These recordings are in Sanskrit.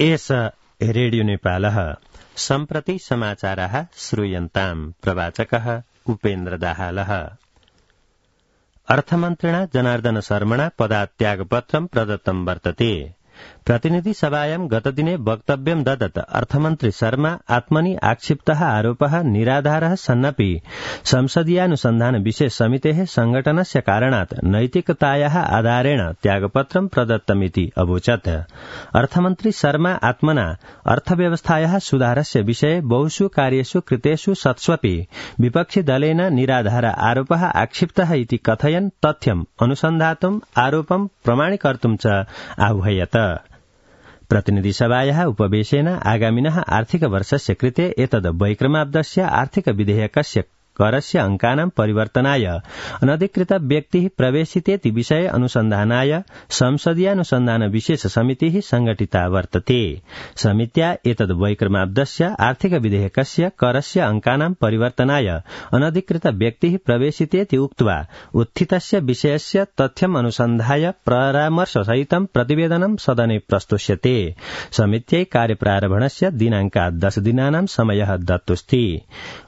एष रेडियो नेपालः सम्प्रति समाचाराः श्रूयन्ताम्। प्रवाचकः उपेन्द्र दाहालः। अर्थमन्त्रिणा जनार्दन शर्मणा पदात्यागपत्रं प्रदत्तं वर्तते। प्रतिनिधि सभायां गतदिने वक्तव्यं ददत् अर्थमन्त्री शर्मा आत्मनि आक्षिप्तः आरोपः निराधारः सन्नपि संसदीयानुसन्धान विशेष समितेः संघटनस्य कारणात् नैतिकतायाः आधारेण त्यागपत्रं प्रदत्तमिति अवोचत्। अर्थमन्त्री शर्मा आत्मना अर्थव्यवस्थायाः सुधारस्य विषये बहुषु कार्येषु कृतेषु सत्स्वपि विपक्षी दलेन निराधार आरोपः आक्षिप्तः इति कथयन् तथ्यम् अनुसन्धातुम् आरोपं प्रमाणीकर्तुं च आह्वयत्। प्रतिनिधि सभायाः उपवेशेन आगामिनः आर्थिक वर्षस्य कृते एतद् वैक्रमाब्दस्य आर्थिक विधेयकस्य करस्य अंकानां परिवर्तनाय अनधिकृत व्यक्तिः प्रवेशितेति विषये अनुसन्धानाय संसदीयानुसन्धान विशेष समितिः संघटिता वर्तते। समित्या एतद् वैक्रमाब्दस्य आर्थिक विधेयकस्य करस्य अंकानां परिवर्तनाय अनधिकृत व्यक्तिः प्रवेशितेति उक्त्वा उत्थितस्य विषयस्य तथ्यम् अनुसन्धाय परामर्शसहितं प्रतिवेदनं सदने प्रस्तुष्यते। समित्यै कार्यप्रारम्भस्य दिनांकात् 10 दिनानां समयः दत्तोऽस्ति।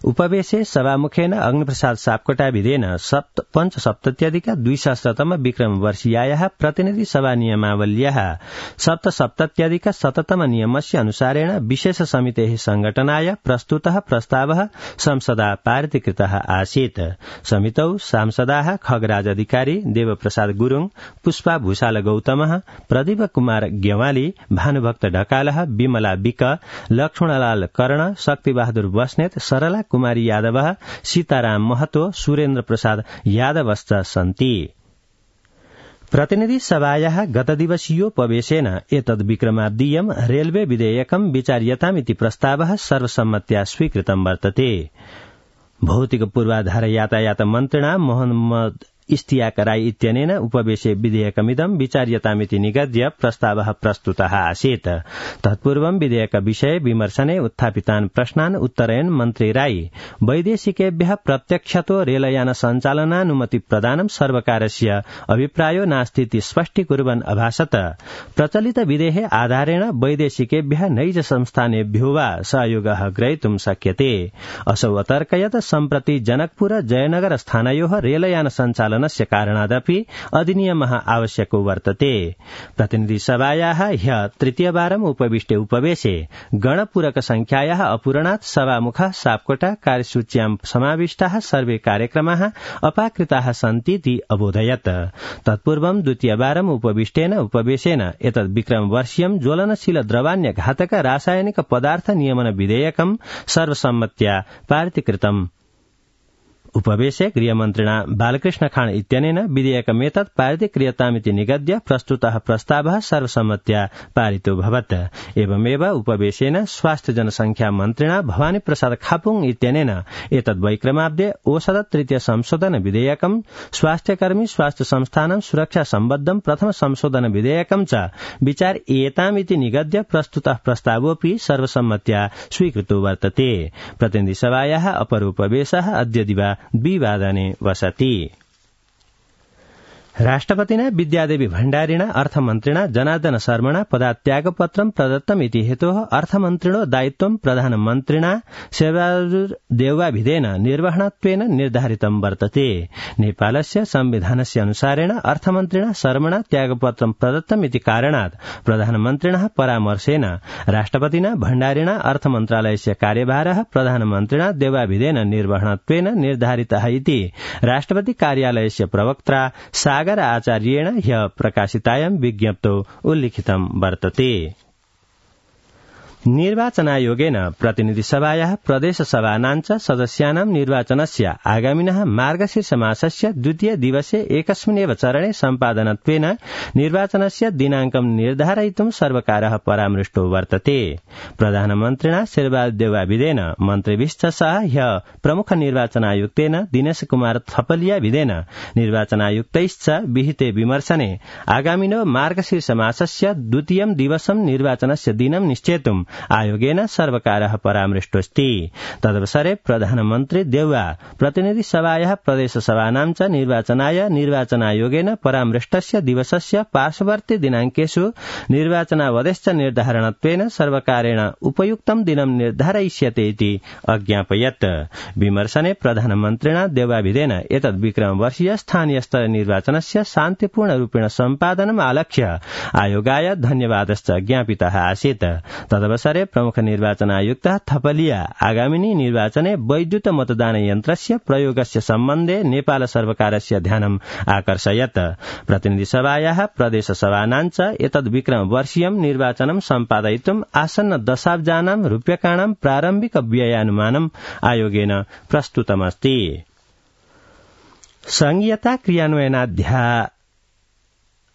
उपवेशे सभामुखे अग्निप्रसाद सापकोटाभिधेन 75,200 विक्रमवर्षीयायाः प्रतिनिधि सभा नियमावल्याः 77,100 नियमस्य अनुसारेण विशेष समितेः संघटनाय प्रस्तुतः प्रस्तावः संसदा पारितीकृतः आसीत्। समितौ सांसदाः खगराज अधिकारी, देवप्रसाद गुरुङ, पुष्पा भूषाल गौतमः, प्रदीप कुमार ग्यवाली, भानुभक्त ढकालः, विमला विक, लक्ष्मणलाल कर्ण, शक्तिबहादुर बस्नेत, सरला कुमारी यादव, सीताराम महतो, सुरेन्द्र प्रसाद यादवश्च सन्ति। प्रतिनिधि सभायाः गतदिवसीयोपवेशेन एतद् विक्रमाब्दीयं रेलवे विधेयकं विचार्यतामिति प्रस्तावः सर्वसम्मत्या स्वीकृतं वर्तते। भौतिक पूर्वाधार यातायात मन्त्रिणा मोहम्मद इस्तियाक राई इत्यनेन उपवेशे विधेयकमिदं विचार्यतामिति निगद्य प्रस्तावः प्रस्तुतः आसीत्। तत्पूर्वं विधेयक विषये विमर्शने उत्थापितान् प्रश्नान् उत्तरयन् मन्त्री राई वैदेशिकेभ्यः प्रत्यक्षतो रेलयान सञ्चालनानुमति प्रदानं सर्वकारस्य अभिप्रायो नास्तीति स्पष्टीकुर्वन् अभाषत। प्रचलित विधेः आधारेण वैदेशिकेभ्यः नैज संस्थानेभ्यो वा सहयोगः ग्रहीतुं शक्यते। असौ अतर्कयत् सम्प्रति जनकपुर जयनगर स्थानयोः रेलयान सञ्चालनस्य कारणादपि अधिनियमः आवश्यको वर्तते। प्रतिनिधि सभायाः ह्यः तृतीयवारम् उपविष्टे उपवेशे गणपूरक संख्यायाः अपूरणात् सभामुखः सापकोटा कार्यसूच्यां समाविष्टाः सर्वे कार्यक्रमाः अपाकृताः सन्तीति अबोधयत्। तत्पूर्वं द्वितीयवारम् उपविष्टेन उपवेशेन एतद् विक्रमवर्षीयं ज्वलनशील द्रवान्य घातक रासायनिक पदार्थ नियमन विधेयकं सर्वसम्मत्या पारितीकृतम्। उपवेशे गृहमन्त्रिणा बालकृष्ण खाँड इत्यनेन विधेयकमेतत् पारितीक्रियतामिति निगद्य प्रस्तुतः प्रस्तावः सर्वसम्मत्या पारितो भवत्। एवमेव उपवेशेन स्वास्थ्य जनसंख्या मन्त्रिणा भवानी प्रसाद खापुङ इत्यनेन एतद् वैक्रमाब्दे औषध तृतीय संशोधन विधेयकं, स्वास्थ्यकर्मी स्वास्थ्य संस्थानं सुरक्षा सम्बद्धं प्रथम संशोधन विधेयकं च विचार्येतामिति निगद्य प्रस्तुतः प्रस्तावोऽपि सर्वसम्मत्या स्वीकृतो वर्तते। प्रतिनिधि सभायाः अपर उपवेशः अद्य दिवा 2 वादने वसति। राष्ट्रपतिना विद्यादेवी भण्डारिणा अर्थमन्त्रिणा जनार्दन शर्मणा पदात्यागपत्रं प्रदत्तमिति हेतोः अर्थमन्त्रिणो दायित्वं प्रधानमन्त्रिणा शेरबहादुर देउवाभिधेन निर्वहणत्वेन निर्धारितं वर्तते। नेपालस्य संविधानस्य अनुसारेण अर्थमन्त्रिणा शर्मणा त्यागपत्रं प्रदत्तमिति कारणात् प्रधानमन्त्रिणः परामर्शेन राष्ट्रपतिना भण्डारिणा अर्थमन्त्रालयस्य कार्यभारः प्रधानमन्त्रिणा देउवाभिधेन निर्वहणत्वेन निर्धारितः इति राष्ट्रपति कार्यालयस्य प्रवक्त्रा सागर आचार्येण ह्यः प्रकाशितायां विज्ञप्तौ उल्लिखितं वर्तते। निर्वाचनायोगेन प्रतिनिधि सभायाः प्रदेश सभानां च सदस्यानां निर्वाचनस्य आगामिनः मार्गशीर्ष मासस्य द्वितीय दिवसे एकस्मिन्नेव चरणे सम्पादनत्वेन निर्वाचनस्य दिनाङ्कं निर्धारयितुं सर्वकारः परामृष्टो वर्तते। प्रधानमन्त्रिणा शेरबहादुर देउवाभिधेन मन्त्रिभिश्च सह ह्यः प्रमुख निर्वाचनायुक्तेन दिनेश कुमार थपलियाभिधेन निर्वाचनायुक्तैश्च विहिते विमर्शने आगामिनो मार्गशीर्ष मासस्य द्वितीयं दिवसं निर्वाचनस्य दिनं निश्चेतुं आयोगेन सर्वकारः परामृष्टोऽस्ति। तदवसरे प्रधानमन्त्री देउवा प्रतिनिधि सभायाः प्रदेशसभानां च निर्वाचनाय निर्वाचनायोगेन परामृष्टस्य दिवसस्य पार्श्ववर्ती दिनाङ्केषु निर्वाचनावधेश्च निर्धारणत्वेन सर्वकारेण उपयुक्तं दिनं निर्धारयिष्यते इति अज्ञापयत्। विमर्शने प्रधानमन्त्रिणा देवाभिधेन एतद् विक्रमवर्षीय स्थानीय स्तर निर्वाचनस्य शान्तिपूर्णरूपेण सम्पादनम् आलक्ष्य आयोगाय धन्यवादश्च ज्ञापितः आसीत्। तदवसरे प्रमुख निर्वाचनायुक्तः थपलिया आगामिनी निर्वाचने वैद्युत मतदानयन्त्रस्य प्रयोगस्य सम्बन्धे नेपाल सर्वकारस्य ध्यानम् आकर्षयत्। प्रतिनिधिसभायाः प्रदेशसभानां च एतद् विक्रमवर्षीयं निर्वाचनं सम्पादयितुम् आसन्न दशाब्जानां रूप्यकाणां प्रारम्भिक व्ययानुमानम् आयोगेन प्रस्तुतमस्ति।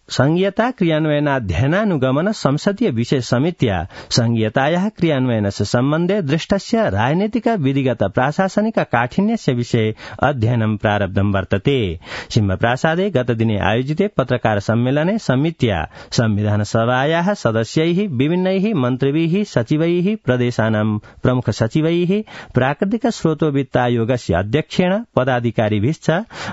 संघीयता क्रियान्वयनाध्ययनानुगमन संसदीय विशेष समित्या संघीयतायाः क्रियान्वयनस्य सम्बन्धे दृष्टस्य राजनीतिक विधिगत प्राशासनिक काठिन्यस्य विषये अध्ययनं प्रारब्धं वर्तते। सिंहप्रासादे गतदिने आयोजिते पत्रकार सम्मेलने समित्या संविधान सभायाः सदस्यैः विभिन्नैः मन्त्रिभिः सचिवैः प्रदेशानां प्रमुख सचिवैः प्राकृतिक स्रोतोवित्तायोगस्य अध्यक्षेण पदाधिकारिभिश्च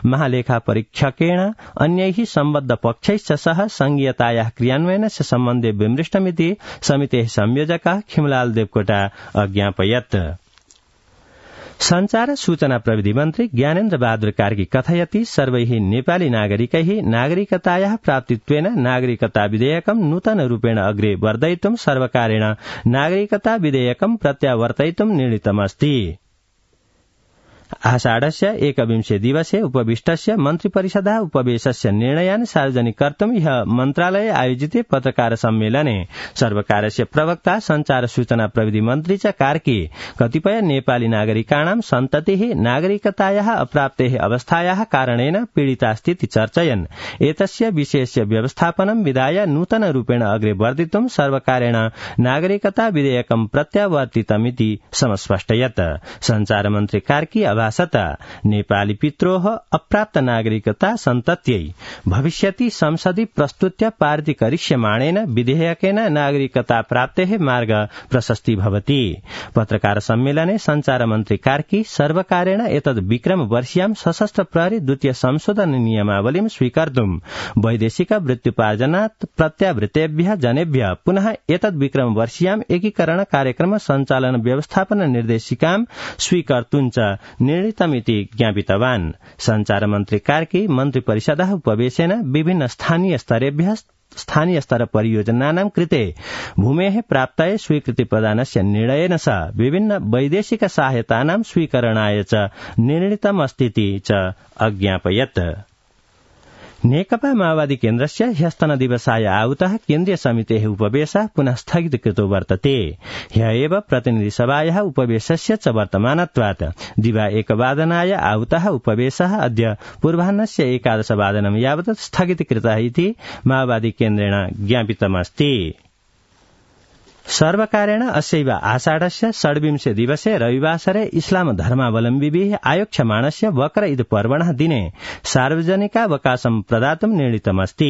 महालेखा परीक्षकेण अन्यैः सम्बद्ध पक्षैश्च सह संघीयतायाः क्रियान्वयनस्य सम्बन्धे विमृष्टमिति समितेः संयोजकः खिमलाल देवकोटा अज्ञापयत्। संचार सूचना प्रविधि मन्त्री ज्ञानेन्द्र बहादुर कार्की कथयति सर्वैः नेपाली नागरिकैः नागरिकतायाः प्राप्तित्वेन नागरिकता विधेयकं नूतन रूपेण अग्रे वर्धयितुं सर्वकारेण नागरिकता विधेयकं प्रत्यावर्तयितुं निर्णीतमस्ति। आषाढस्य 21 दिवसे उपविष्टस्य मन्त्रिपरिषदः उपवेशस्य निर्णयान् सार्वजनिक कर्तुं ह्यः मन्त्रालये आयोजिते पत्रकार सम्मेलने सर्वकारस्य प्रवक्ता संचार सूचना प्रविधि मन्त्री च कार्की कतिपय नेपाली नागरिकाणां सन्ततिः नागरिकतायाः अप्राप्तेः अवस्थायाः कारणेन पीडितास्तीति चर्चयन् एतस्य विषयस्य व्यवस्थापनं विधाय नूतन रूपेण अग्रे वर्धितुं सर्वकारेण नागरिकता विधेयकं प्रत्यावर्तितमिति समस्पष्टयत्। संचार मन्त्री कार्की भाषत नेपाली पित्रोः अप्राप्त नागरिकता सन्तत्यै भविष्यति संसदि प्रस्तुत्य पारितीकरिष्यमाणेन विधेयकेन नागरिकता प्राप्तेः मार्ग प्रशस्ति भवति। पत्रकार सम्मेलने संचार मन्त्री कार्की सर्वकारेण एतद् विक्रम वर्षीयां सशस्त्र प्रहरी द्वितीय संशोधन नियमावलीं स्वीकर्तुं वैदेशिक वृत्त्युपार्जनात् प्रत्यावृत्तेभ्यः जनेभ्यः पुनः एतद् विक्रम वर्षीयां एकीकरण कार्यक्रम सञ्चालन व्यवस्थापन निर्देशिकां स्वीकर्तुं च निर्णीतमिति ज्ञापितवान्। संचार मन्त्री कार्की मन्त्रिपरिषदः उपवेशेन विभिन्न स्थानीय स्तर परियोजनानां कृते भूमेः प्राप्तये स्वीकृति प्रदानस्य निर्णयेन सह विभिन्न वैदेशिक सहायतानां स्वीकरणाय च निर्णीतमस्तीति च अज्ञापयत्। नेकपा माओवादी केन्द्रस्य ह्यस्तन दिवसाय आहूतः केन्द्रीय समितेः उपवेशः पुनः स्थगितकृतो वर्तते। ह्यः एव प्रतिनिधिसभायाः उपवेशस्य च वर्तमानत्वात् दिवा 1 वादनाय आहूतः उपवेशः अद्य पूर्वाह्नस्य 11 वादनं यावत् स्थगितकृतः इति माओवादी केन्द्रेण ज्ञापितमस्ति। सर्वकारेण अस्यैव आषाढस्य 26 दिवसे रविवासरे इस्लाम धर्मावलम्बिभिः आयोक्ष्यमाणस्य बकर ईद पर्वणः दिने सार्वजनिकावकाशं प्रदातुं निर्णीतमस्ति।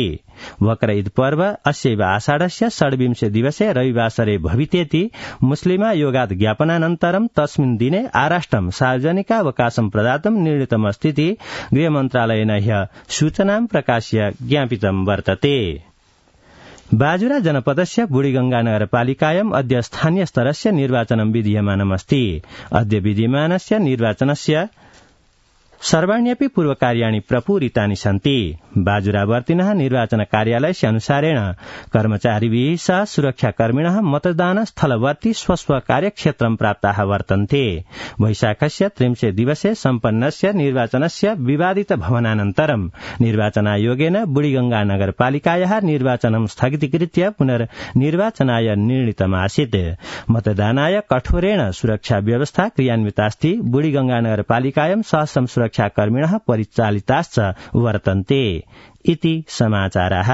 बकर ईद पर्व अस्यैव आषाढस्य 26 दिवसे रविवासरे भवितेति मुस्लिमा योगात् ज्ञापनानन्तरं तस्मिन् दिने आराष्ट्रं सार्वजनिकावकाशं प्रदातुं निर्णीतमस्तीति गृहमन्त्रालयेन ह्यः सूचनां प्रकाश्य ज्ञापितं वर्तते। बाजुरा जनपदस्य बुढीगंगा नगरपालिकायाम् अद्य स्थानीय स्तरस्य निर्वाचनं विधीयमानमस्ति। अद्य विधीयमानस्य निर्वाचनस्य सर्वाण्यपि पूर्वकार्याणि प्रपूरितानि सन्ति। बाजुरावर्तिनः निर्वाचन कार्यालयस्य अनुसारेण कर्मचारिभिः सह सुरक्षाकर्मिणः मतदान स्थलवर्ती स्वस्व कार्यक्षेत्रं प्राप्ताः वर्तन्ते। वैशाखस्य 30 दिवसे सम्पन्नस्य निर्वाचनस्य विवादित भवनानन्तरं निर्वाचनायोगेन बुढीगंगा नगरपालिकायाः निर्वाचनं स्थगितीकृत्य पुनर्निर्वाचनाय निर्णीतमासीत्। मतदानाय कठोरेण सुरक्षा व्यवस्था क्रियान्वितास्ति। बुढीगंगा नगरपालिकायां सहस्रं सुरक्षाकर्मिणः परिचालिताश्च वर्तन्ते इति समाचाराः।